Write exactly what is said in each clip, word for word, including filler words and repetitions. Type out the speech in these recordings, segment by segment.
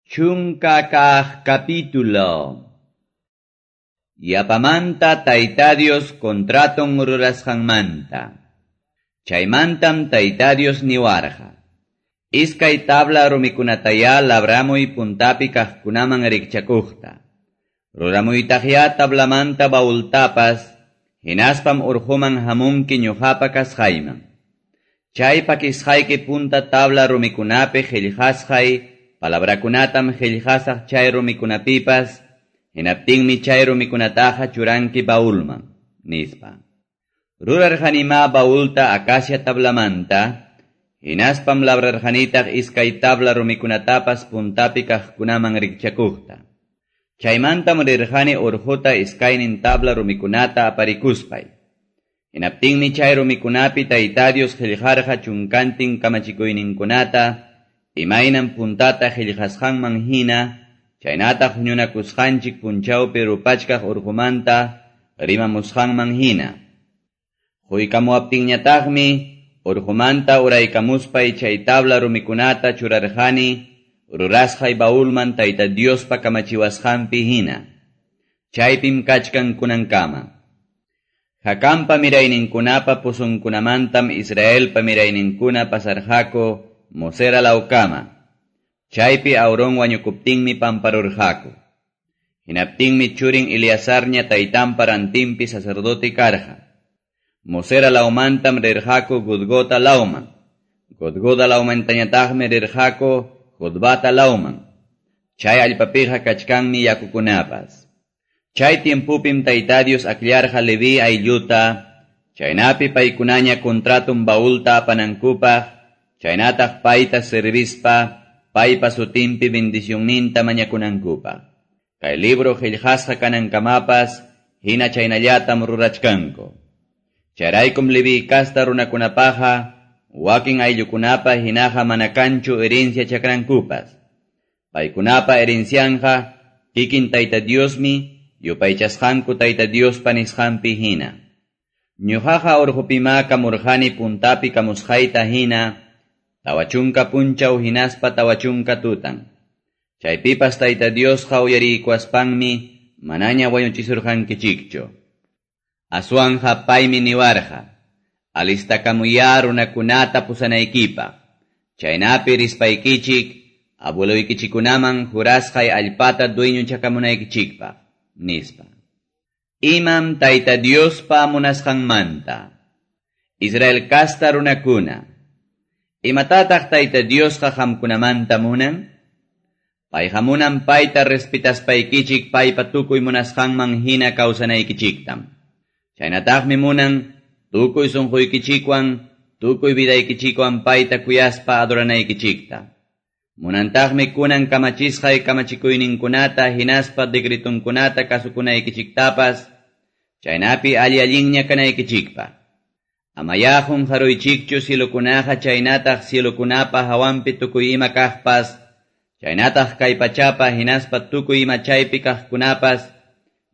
Chunka kaq capítulo. Yapamanta Tayta Dios contraton rurasqanmanta. Chaymantam Tayta Dios niwarqa. Iskay tabla rumikunatayá labramuy puntapi kaqkunaman rikchakuqta. Ruramuytaqyá tablamanta baultapas, hinaspam urquman hamunki ñuqapa kasqayman. Chay pakisqayki punta tabla rumikunapi qillqasqay palabrakunatam qillqasaq chay rumikunapipas, hinaptinmi chay rumikunataqa churanki baulman, nispa. Rurarqanimá baulta acacia tablamanta, hinaspam labrarqanitaq iskay tabla rumikunatapas puntapi kaqkunaman rikchakuqta. Chaymantam rirqani urquta iskaynin tabla rumikunata aparikuspay. Hinaptinmi chay rumikunapi Tayta Dios qillqarqa chunkantin kamachikuyninkunata, imaynam puntata qillqasqanman hina, chaynataq huñunakusqanchik punchawpi rupachkaq urqumanta rimamusqanman hina. Quykamuwaptinñataqmi urqumanta uraykamuspay chay tabla rumikunata churarqani rurasqay baulman Tayta Diospa kamachiwasqanpi hina. Chaypim kachkan kunankama. Jacanpa mirayninkunapa pusunkunamantam Israelpa mirayninkuna pasarqaku Mosera lawkama. Chaypi Aarón wañukuptinmi pamparurqaku. Hinaptinmi churin Eleazarña taytanpa rantinpi sacerdote karqa. Mosera lawmantam rirqaku Gudgota lawman. Gudgoda lawmantañataqmi rirqaku Jotbata lawman. Chay allpapiqa kachkanmi yakukunapas. Chay tiempupim Tayta Dios akllarqa Leví aylluta, chaynapi paykunaña contratum baulta apanankupaq, chaynataq payta servispa, paypa sutinpi bendicionninta mañakunankupaq. Kay libro qillqasqa kanankamapas, hina chaynallatam rurachkanku. Chayraykum Leví kasta runakunapaqa, wakin ayllukunapa hinaqa mana kanchu herencia chakrankupas. Paykunapa herencianqa, kikin Tayta Diosmi, yupaychasqanku Tayta Diospa nisqanpi hina. Ñuqaqa urqupimá kamurqani puntapi kamusqayta hina, tawachunka punchaw hinaspa tawachunka tutan. Chaypipas Tayta Diosqa uyariykuwaspanmi manaña wañuchisurqankichikchu. Aswanja paymi niwarqa, alistakamuyá runakunata pusanaykipaq. Chaynapi rispaykichik, abueloykichikunaman jurasqay allpata dueñochakamunaykichikpaq, nispa. Imam Tayta Diospa munasqanmanta. Israel kasta runakuna, imatataq Tayta Diosqa qamkunamanta munan? Payqa munan payta respetaspaykichik paypa tukuy munasqanman hina kawsanaykichiktam. Chaynataqmi munan tukuy sunquykichikwan, tukuy vidaykichikwan payta kuyaspa adoranaykichikta. Munantaqmi kunan kamachisqay kamachikuyninkunata hinaspa decretunkunata kasukunaykichiktapas, chaynapi alli allinña kanaykichikpaq. Amayá qunqaruychikchu cielokunaqa chaynataq cielokunapa hawanpi tukuy ima kaqpas, chaynataq kay pachapa hinaspa tukuy ima chaypi kaqkunapas,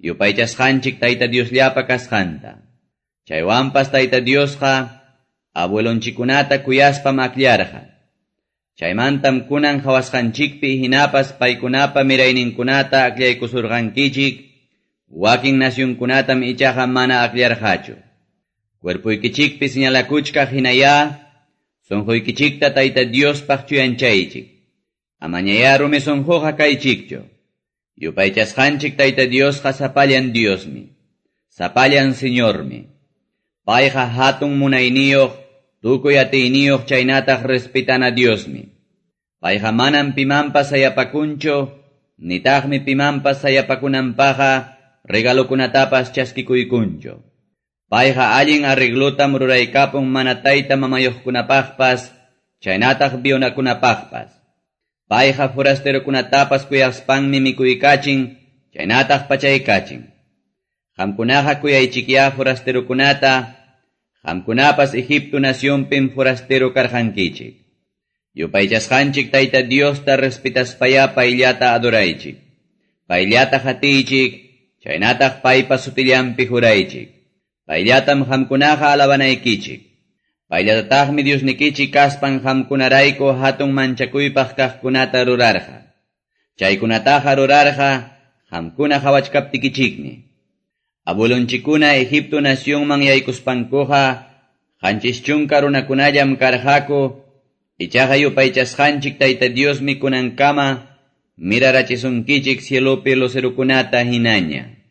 yupaychasqanchik Tayta Diosllapa kasqanta. Chaywanpas Tayta Diosqa abuelonchikunata kuyaspam akllarqa. Chaymantam kunan qhawasqanchikpi hinapas paykunapa mirayninkunata akllaykusurqankichik, wakin nacionkunatam ichaqa mana akllarqachu. Cuerpuykichikpi señalakuchkaq hinayá, sunquykichikta Tayta Diospaq chuyanchaychik. Amañayá rumi sunquqa kaychikchu. Yupaychasqanchik Tayta Diosqa sapallan Diosmi, sapallan Señormi. Payqa hatun munayniyuq, tukuy atiyniyuq chaynataq respetana Diosmi. Payqa manam pimanpas sayapakunchu, nitaqmi pimanpas sayapakunanpaqqa regalokunatapas chaskikuykunchu. Payqa allin arreglotam ruraykapun mana tayta mamayuqkunapaqpas, chaynataq viudakunapaqpas. Payqa forasterokunatapas kuyaspanmi mikuykachin, chaynataq pachaykachin. Qamkunaqa kuyaychikyá forasterokunata, qamkunapas Egipto nacionpim forastero karqankichik. Yupaychasqanchik Tayta Diosta respetaspayá payllata adoraychik. Payllata qatiychik, chaynataq paypa sutillanpi juraychik. Payllatam qamkunaqa alabanaykichik. Payllatataqmi Diosnikichik kaspan qamkunarayku hatun manchakuypaq kaqkunata rurarqa. Chaykunataqa rurarqa qamkuna qawachkaptikichikmi. Abuelonchikkuna Egipto nacionman yaykuspankuqa qanchis chunka runakunallam karqaku, ichaqa yupaychasqanchik Tayta Diosmi kunankama mirarachisunkichik cielopi lucerokunata hinaña.